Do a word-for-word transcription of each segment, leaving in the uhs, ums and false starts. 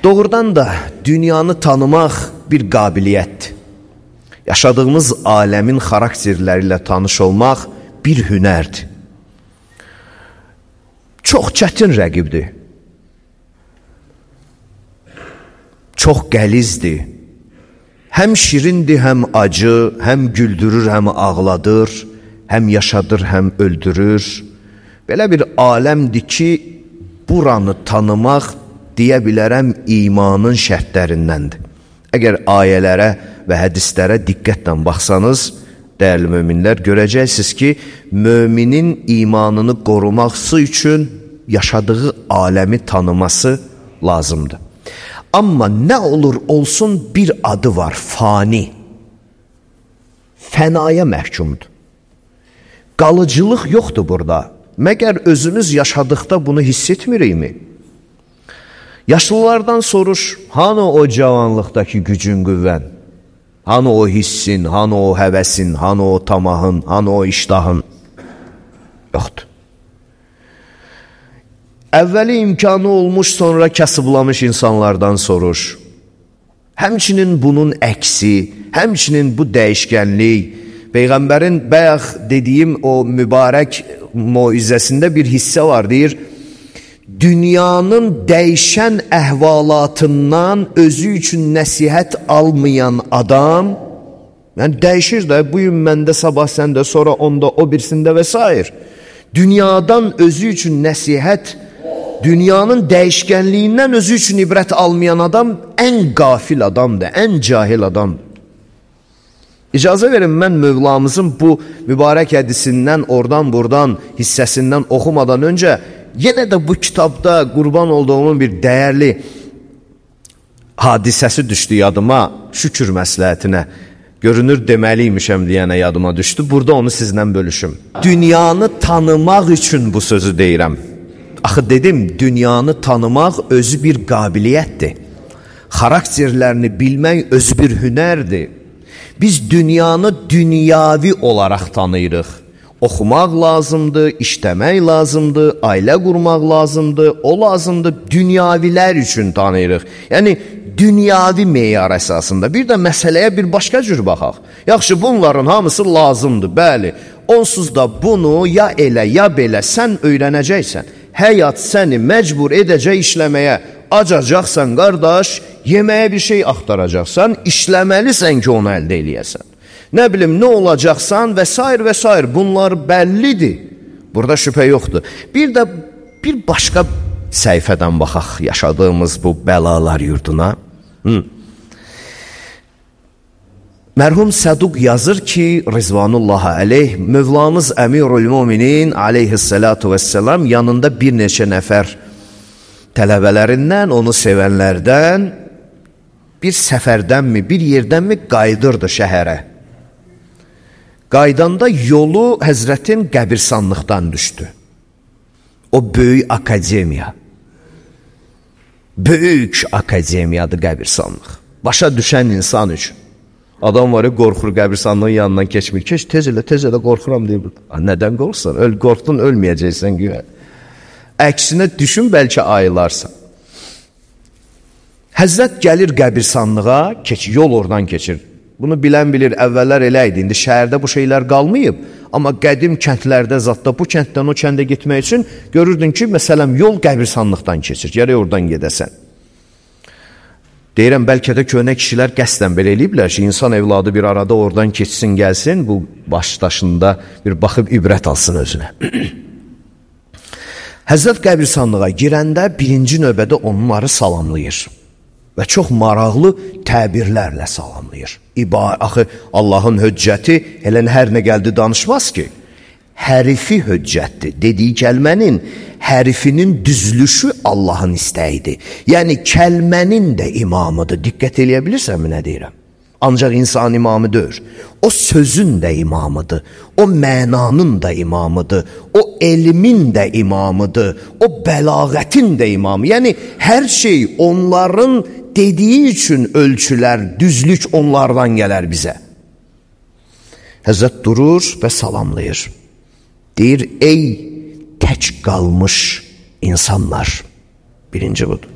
Doğrudan da dünyanı tanımaq bir qabiliyyətdir. Yaşadığımız aləmin xarakterləri ilə tanış olmaq bir hünərdir. Çox çətin rəqibdir. Çox qəlizdir. Həm şirindir, həm acı, həm güldürür, həm ağladır, həm yaşadır, həm öldürür. Belə bir aləmdir ki, buranı tanımaq deyə bilərəm imanın şərtlərindəndir. Əgər ayələrə və hədislərə diqqətlə baxsanız, dəyərli möminlər, görəcəksiniz ki, möminin imanını qoruması üçün yaşadığı aləmi tanıması lazımdır. Amma nə olur olsun bir adı var, fani. Fənaya məhkumdur. Qalıcılıq yoxdur burada. Məgər özümüz yaşadıqda bunu hiss etmirikmi? Yaşlılardan soruş, hanı o cavanlıqdakı gücün, qüvvən? Hanı o hissin, hanı o həvəsin, hanı o tamahın, hanı o iştahın? Yoxdur. Əvvəli imkanı olmuş, sonra kasıblamış insanlardan soruş. Həmçinin bunun əksi, həmçinin bu dəyişkənlik, Peyğəmbərin bayaq dediyim o mübarək moizəsində bir hissə var, deyir, dünyanın dəyişən əhvalatından özü üçün nəsihət almayan adam, yəni dəyişir də, bu gün məndə, sabah səndə, sonra onda, o birisində və s. Dünyadan özü üçün nəsihət, dünyanın dəyişkənliyindən özü üçün ibrət almayan adam ən qafil adamdır, ən cahil adamdır. İcazə verin, mən Mövlamızın bu mübarək hədisindən, oradan buradan hissəsindən oxumadan öncə yenə də bu kitabda qurban olduğumun bir dəyərli hadisəsi düşdü yadıma, şükür məsləhətinə. Görünür deməliymişəm deyənə yadıma düşdü. Burada onu sizlə bölüşüm. Dünyanı tanımaq üçün bu sözü deyirəm. Axı dedim, dünyanı tanımaq özü bir qabiliyyətdir. Xarakterlərini bilmək özü bir hünərdir. Biz dünyanı dünyavi olaraq tanıyırıq. Oxumaq lazımdır, işləmək lazımdır, ailə qurmaq lazımdır, o lazımdır, dünyavilər üçün tanıyırıq. Yəni, dünyavi meyar əsasında. Bir də məsələyə bir başqa cür baxaq. Yaxşı, bunların hamısı lazımdır, bəli. Onsuz da bunu ya elə, ya belə sən öyrənəcəksən. Həyat səni məcbur edəcək işləməyə. Acacaqsan, qardaş, yeməyə bir şey axtaracaqsan, işləməlisən ki, onu əldə eləyəsən. Nə bilim, nə olacaqsan və s. və s. Bunlar bəllidir. Burada şübhə yoxdur. Bir də bir başqa səhifədən baxaq yaşadığımız bu bəlalar yurduna. Hı. Mərhum Səduq yazır ki, Rizvanullahi aleyh, Mövlamız Əmirul Müminin aleyhissalatu vesselam yanında bir neçə nəfər tələbələrindən, onu sevənlərdən bir səfərdənmi, bir yerdənmi qayıdırdı şəhərə. Qaydanda yolu Həzrətin qəbirsanlıqdan düşdü. O böyük akademiya. Böyük akademiyadır qəbirsanlıq. Başa düşən insan üçün. Adam var ya, qorxur qəbirsanlığın yanından keçmir. Keç, tez elə, tez elə, qorxuram deyir. Nədən qorxsan? Öl, qorxdun, ölməyəcəksən güya. Əksinə düşün, bəlkə ayılarsan. Həzrət gəlir qəbirsanlığa, keç, yol oradan keçir. Bunu bilən bilir, əvvəllər elə idi. İndi şəhərdə bu şeylər qalmayıb. Amma qədim kəndlərdə, zatda bu kənddən o kəndə getmək üçün görürdün ki, məsələn, yol qəbirsanlıqdan keçir. Gərək oradan gedəsən. Deyirəm, bəlkə də köhnə kişilər qəsdən belə eləyiblər ki, insan evladı bir arada oradan keçsin, gəlsin, bu başdaşında bir baxıb ibrət alsın özünə. Həzrət qəbirsanlığa girəndə birinci növbədə onları salamlayır və çox maraqlı təbirlərlə salamlayır. İba, axı, Allahın höccəti elə hər nə gəldi danışmaz ki, hərifi höccətdir. Dediyi kəlmənin hərifinin düzlüşü Allahın istəyidir. Yəni, kəlmənin də imamıdır. Diqqət eləyə bilirsənmi nə deyirəm? Ancaq insan imamı deyir. O sözün də imamıdır. O mənanın da imamıdır. O elmin də imamıdır. O bəlağətin də imamı. Yəni, hər şey onların dediyi üçün ölçülər, düzlük onlardan gələr bizə. Həzrət durur və salamlayır. Deyir, ey tək qalmış insanlar. Birinci budur.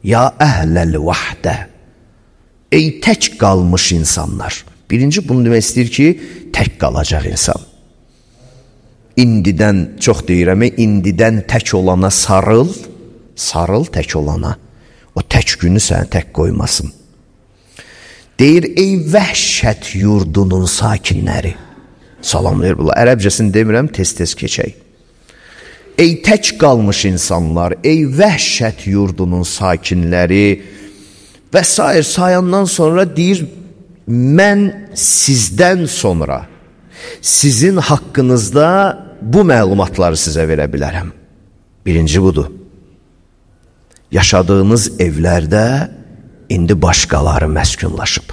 Ya əhləl vahdə, ey tək qalmış insanlar. Birinci bunu demək istəyir ki, tək qalacaq insan. İndidən, çox deyirəm, indidən tək olana sarıl, sarıl tək olana. O tək günü səni tək qoymasın. Deyir, ey vəhşət yurdunun sakinləri. Salamlayır bunlar. Ərəbcəsini demirəm, tez-tez keçək. Ey tək qalmış insanlar, ey vəhşət yurdunun sakinləri və sair sayandan sonra deyir, mən sizdən sonra sizin haqqınızda bu məlumatları sizə verə bilərəm. Birinci budur. Yaşadığınız evlərdə indi başqaları məskunlaşıb.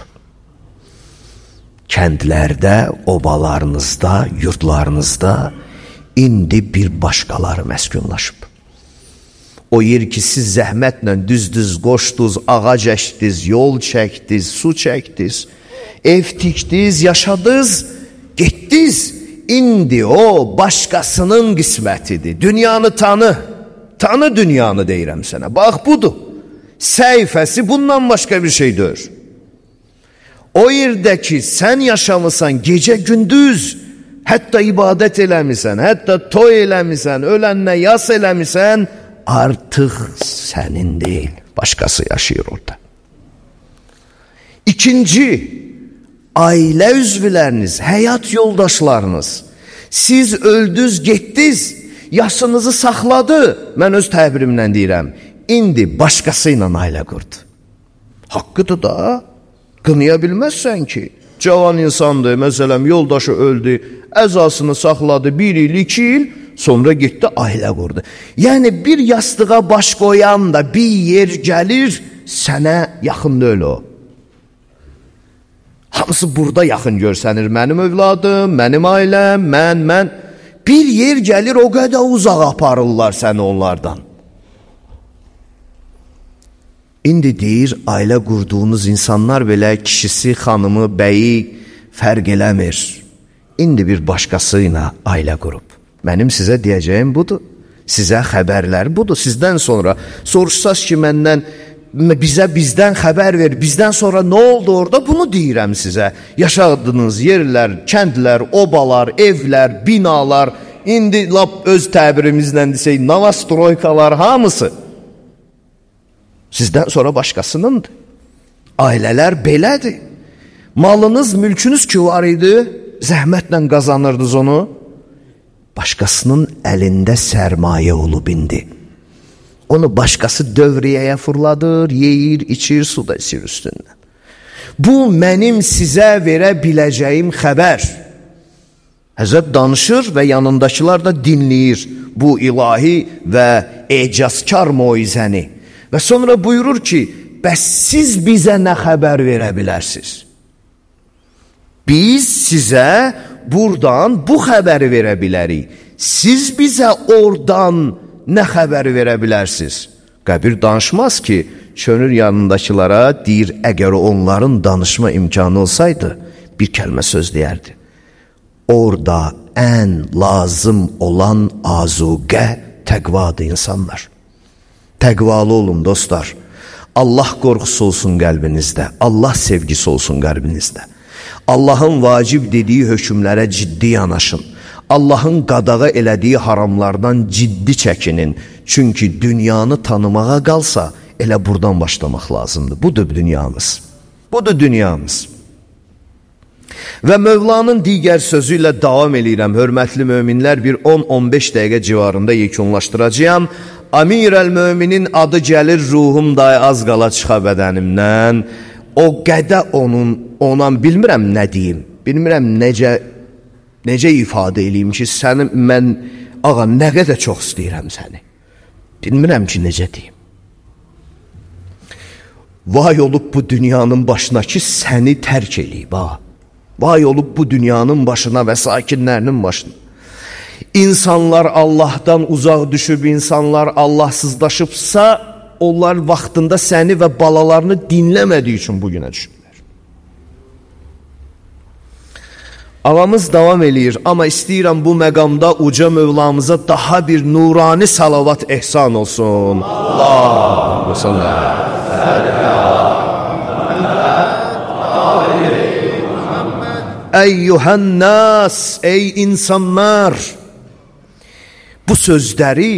Kəndlərdə, obalarınızda, yurdlarınızda indi bir başqaları məskunlaşıb. O yer ki, siz zəhmətlə düz-düz qoşdunuz, ağac əkdiniz, yol çəkdiniz, su çəkdiniz, ev tikdiniz, yaşadınız, getdiniz. İndi o başqasının qismətidir. Dünyanı tanı, tanı dünyanı deyirəm sənə. Bax, budur. Səhifəsi bundan başqa bir şey deyir. O yerdəki sən yaşamısan gecə gündüz, hətta ibadət eləmisən, hətta toy eləmisən, ölənlə yas eləmisən, artıq sənin deyil, başqası yaşayır orada. İkinci, ailə üzvləriniz, həyat yoldaşlarınız, siz öldünüz, getdiniz, yaşınızı saxladı, mən öz təbirimlə deyirəm, indi başqası ilə ailə qurdu. Haqqıdır da, qınaya bilməzsən ki, cavan insandır, məsələn, yoldaşı öldü, əzasını saxladı, bir il, iki il, sonra getdi, ailə qurdu. Yəni, bir yastığa baş qoyan da bir yer gəlir, sənə yaxın deyil o. Hamısı burada yaxın görsənir. Mənim övladım, mənim ailəm, mən, mən. Bir yer gəlir, o qədər uzaq aparırlar səni onlardan. İndi deyir, ailə qurduğunuz insanlar belə kişisi, xanımı, bəyi fərq eləmir. İndi bir başqası ilə ailə qurub. Mənim sizə deyəcəyim budur. Sizə xəbərlər budur. Sizdən sonra soruşsaz ki, məndən, bizə bizdən xəbər ver, bizdən sonra nə oldu orada? Bunu deyirəm sizə. Yaşadığınız yerlər, kəndlər, obalar, evlər, binalar, indi lap öz təbirimizlə desək, navastroykalar, hamısı sizdən sonra başqasınındır. Ailələr belədir. Malınız, mülkünüz ki var idi, zəhmətlə qazanırdınız onu, başqasının əlində sərmayə olub indi. Onu başqası dövriyəyə fırladır, yeyir, içir, su da içir üstündən. Bu, mənim sizə verə biləcəyim xəbər. Həzrət danışır və yanındakılar da dinləyir bu ilahi və ecazkar moizəni. Və sonra buyurur ki, bəs siz bizə nə xəbər verə bilərsiniz? Biz sizə buradan bu xəbəri verə bilərik. Siz bizə oradan nə xəbəri verə bilərsiniz? Qəbir danışmaz ki, çönür yanındakılara, deyir, əgər onların danışma imkanı olsaydı, bir kəlmə söz deyərdi. Orada ən lazım olan azuqə təqvadır insanlar. Təqvalı olun dostlar. Allah qorxusu olsun qəlbinizdə, Allah sevgisi olsun qəlbinizdə. Allahın vacib dediyi hökmlərə ciddi yanaşın. Allahın qadağa elədiyi haramlardan ciddi çəkinin. Çünki dünyanı tanımağa qalsa, elə buradan başlamaq lazımdır. Budur dünyamız. Budur dünyamız. Və Mövlanın digər sözü ilə davam eləyirəm. Hörmətli möminlər, bir on on beş dəqiqə civarında yekunlaşdıracağam. Amirəl-möminin adı gəlir, ruhum da az qala çıxa bədənimdən. O qədə onun, ona bilmirəm nə deyim, bilmirəm necə, necə ifadə eləyim ki, səni mən, ağa, nə qədər çox istəyirəm səni. Bilmirəm ki, necə deyim. Vay olub bu dünyanın başına ki, səni tərk eləyib, ha. Vay olub bu dünyanın başına və sakinlərinin başına. İnsanlar Allahdan uzaq düşüb, insanlar Allahsızlaşıbsa, onlar vaxtında səni və balalarını dinləmədiyi üçün bugünə düşüblər. Ağamız davam eləyir, amma istəyirəm bu məqamda uca Mövlamıza daha bir nurani salavat ehsan olsun. Allahümme salli. Eyyuhənnas, ey insanlar! Bu sözləri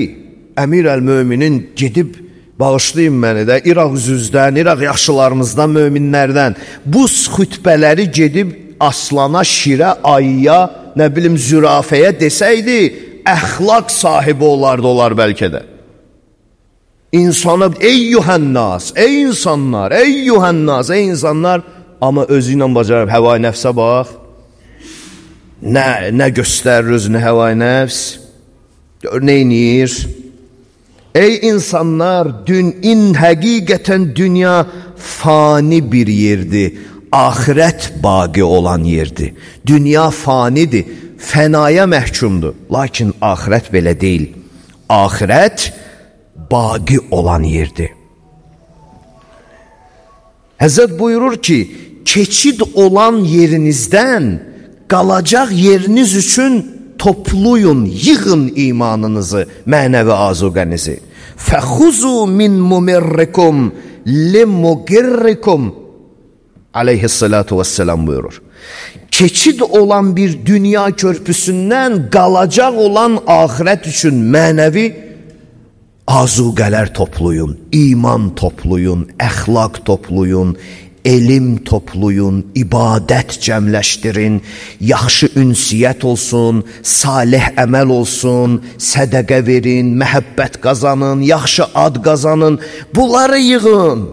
Əmir əl-Möminin gedib, bağışlayın məni də, İraq üzüzdən, İraq yaşlılarımızdan, möminlərdən bu xütbələri gedib aslana, şirə, ayıya, nə bilim zürafəyə desəydi, əxlaq sahibi olardı olar bəlkə də. İnsana, ey yuhənnas, ey insanlar, ey yuhənnas, ey insanlar, amma özü ilə bacarıb, həvai nəfsə bax, nə, nə göstərir özünü həvai nəfs, gör, neynir? Ey insanlar, dün, in həqiqətən dünya fani bir yerdir. Ahirət baqi olan yerdir. Dünya fanidir, fənaya məhkumdur. Lakin ahirət belə deyil. Ahirət baqi olan yerdir. Həzrət buyurur ki, keçid olan yerinizdən qalacaq yeriniz üçün topluyun, yığın imanınızı, mənəvi azuqənizi. Fəxuzu min mumirrikum limugirrikum aleyhissalatu vesselam buyurur. Keçid olan bir dünya körpüsündən qalacaq olan ahirət üçün mənəvi azuqələr toplayın, iman toplayın, əxlaq toplayın, elm toplayın, ibadət cəmləşdirin, yaxşı ünsiyyət olsun, salih əməl olsun, sədəqə verin, məhəbbət qazanın, yaxşı ad qazanın, bunları yığın.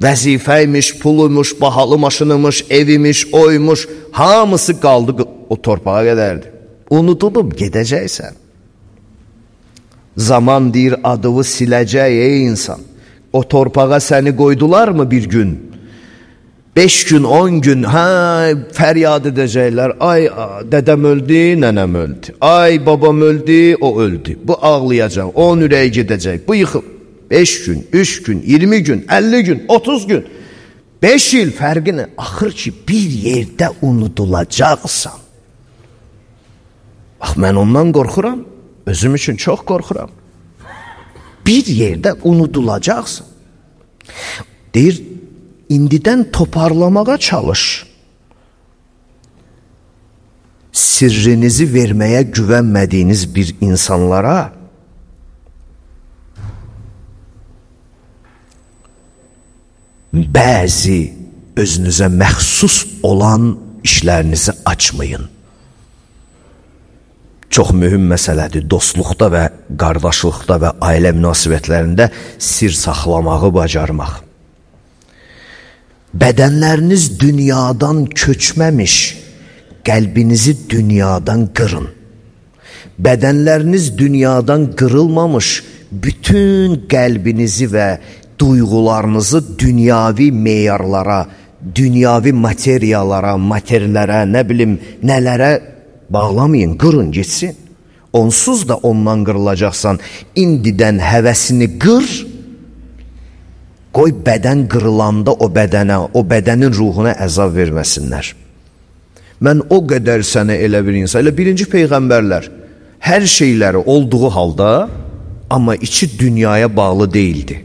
Vəzifəymiş, puluymuş, bahalı maşınımış, evimiş, oymuş, hamısı qaldı o torpağa qədərdir. Unudulub gedəcəksən. Zaman deyir, adını siləcək ey insan. O torpağa səni qoydular mı bir gün? Beş gün, on gün, hə, fəryad edəcəklər. Ay, dədəm öldü, nənəm öldü. Ay, babam öldü, o öldü. Bu ağlayacaq, onun ürəyi gedəcək, bu yıxıl. Beş gün, üç gün, iyirmi gün, əlli gün, otuz gün, beş il fərqini, axır ki, bir yerdə unudulacaqsan. Bax, mən ondan qorxuram, özüm üçün çox qorxuram. Bir yerdə unudulacaqsan. Deyir, indidən toparlamağa çalış. Sirrinizi verməyə güvənmədiyiniz bir insanlara bəzi özünüzə məxsus olan işlərinizi açmayın. Çox mühüm məsələdir. Dostluqda və qardaşlıqda və ailə münasibətlərində sir saxlamağı bacarmaq. Bədənləriniz dünyadan köçməmiş, qəlbinizi dünyadan qırın. Bədənləriniz dünyadan qırılmamış, bütün qəlbinizi və duyğularınızı dünyavi meyarlara, dünyavi materiyalara, materilərə, nə bilim, nələrə bağlamayın, qırın, geçsin. Onsuz da ondan qırılacaqsan, indidən həvəsini qır, qoy bədən qırılanda o bədənə, o bədənin ruhuna əzab verməsinlər. Mən o qədər sənə elə bir insan, elə birinci peyğəmbərlər, hər şeyləri olduğu halda, amma içi dünyaya bağlı deyildi.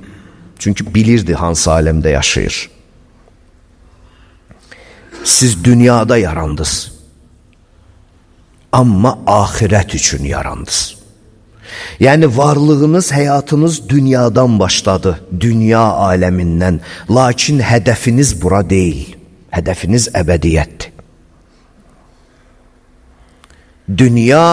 Çünki bilirdi hansı aləmdə yaşayır. Siz dünyada yarandınız. Amma ahirət üçün yarandınız. Yəni varlığınız, həyatınız dünyadan başladı, dünya aləmindən. Lakin hədəfiniz bura deyil. Hədəfiniz əbədiyyətdir. Dünya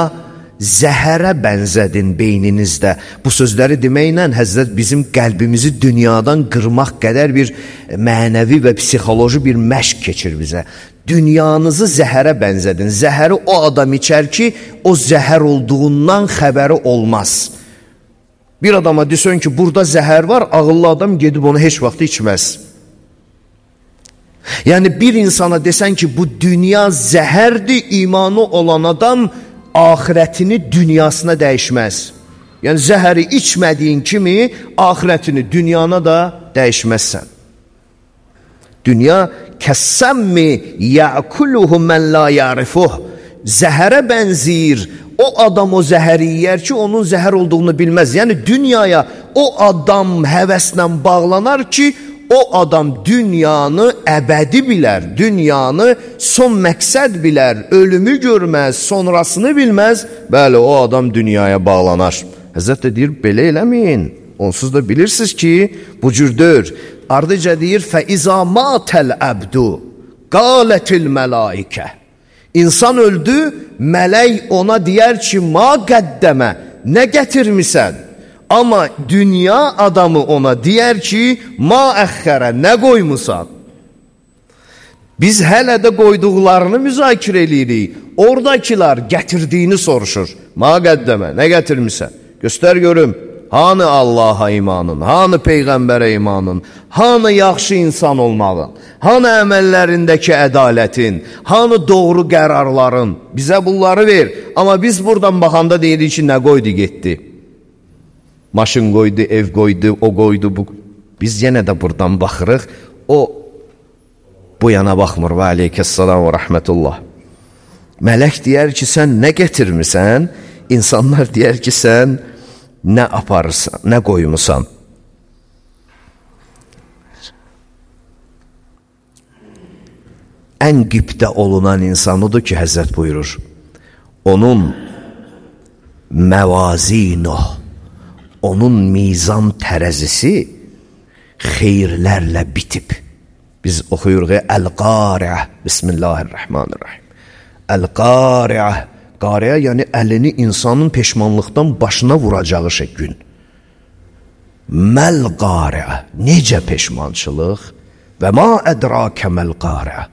zəhərə bənzədin beyninizdə. Bu sözləri deməklə Həzrət bizim qəlbimizi dünyadan qırmaq qədər bir mənəvi və psixoloji bir məşq keçir bizə. Dünyanızı zəhərə bənzədin. Zəhəri o adam içər ki, o zəhər olduğundan xəbəri olmaz. Bir adama desən ki, burada zəhər var, ağıllı adam gedib onu heç vaxt içməz. Yəni bir insana desən ki, bu dünya zəhərdir, imanı olan adam ahirətini dünyasına dəyişməz. Yəni zəhəri içmədiyin kimi ahirətini dünyana da dəyişməzsən. Dünya kəsəmmi ya'kuluhu mən la ya'rifuh. Zəhərə bənzəyir. O adam o zəhəri yiyər ki, onun zəhər olduğunu bilməz. Yəni dünyaya o adam həvəslə bağlanar ki, o adam dünyanı əbədi bilər, dünyanı son məqsəd bilər, ölümü görməz, sonrasını bilməz. Bəli, o adam dünyaya bağlanar. Həzrət də deyir, belə eləməyin. Onsuz da bilirsiniz ki, bu cürdür. Ardıca deyir, fəizə matəl əbdu, qalətil mələikə. İnsan öldü, mələk ona deyər ki, ma qəddəmə, nə gətirmisən? Amma dünya adamı ona deyər ki, ma əxxərə, nə qoymusan? Biz hələ də qoyduqlarını müzakirə edirik. Oradakılar gətirdiyini soruşur. Ma qəddəmə, nə gətirmisən? Göstər görüm, hanı Allaha imanın, hanı Peyğəmbərə imanın, hanı yaxşı insan olmağın, hanı əməllərindəki ədalətin, hanı doğru qərarların? Bizə bunları ver. Amma biz buradan baxanda deyirik ki, nə qoydu getdi? Maşın qoydu, ev qoydu, o qoydu, bu. Biz yenə də buradan baxırıq, o bu yana baxmır. Və aleykəssalam və rəhmətullah. Mələk deyər ki, sən nə gətirmirsən? İnsanlar deyər ki, sən nə aparırsan, nə qoymusan? Ən qibdə olunan insan odur ki, Həzrət buyurur, onun məvazinuh, onun mizan tərəzisi xeyirlərlə bitib. Biz oxuyuruq, Əl-Qari'ə, Bismillahirrahmanirrahim. Əl-Qari'ə, Qari'ə yəni əlini insanın peşmanlıqdan başına vuracağı şey gün. Məl-Qari'ə, necə peşmançılıq? Və ma ədrakə məl-Qari'ə.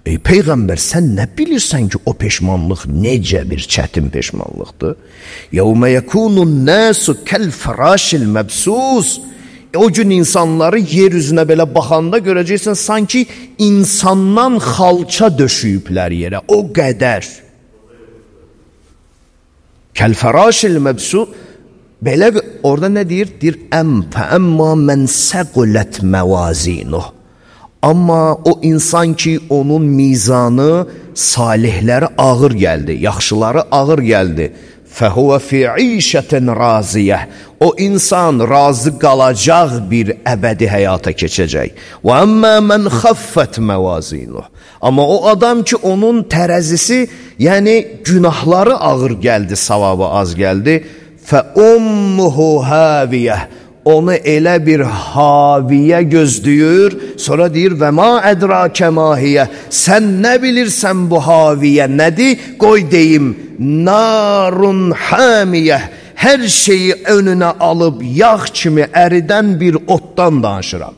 Ey Peyğəmbər, sən nə bilirsən ki, o peşmanlıq necə bir çətin peşmanlıqdır? Yəvmə yəkunun nəsu kəl-fərəşil məbsus. O gün insanları yer üzünə belə baxanda görəcəksən, sanki insandan xalça döşüyüblər yerə, o qədər. Kəl-fərəşil məbsus. Belə orada nə deyir? Deyir, əm fəəmmə mən səqulət məvazinuh. Amma o insan ki, onun mizanı, salihləri ağır gəldi, yaxşıları ağır gəldi. Fəhuvə fi işətin raziyyə. O insan razı qalacaq bir əbədi həyata keçəcək. Və əmmə mən xəffət məvazinuh. Amma o adam ki, onun tərəzisi, yəni günahları ağır gəldi, savabı az gəldi. Fə ummuhu həviyyə. Onu elə bir haviyə gözləyir, sonra deyir, və ma ədrakə mahiyyə, sən nə bilirsən bu haviyə nədir? Qoy deyim, narun hamiyyə, hər şeyi önünə alıb yağ kimi əridən bir otdan danışıram.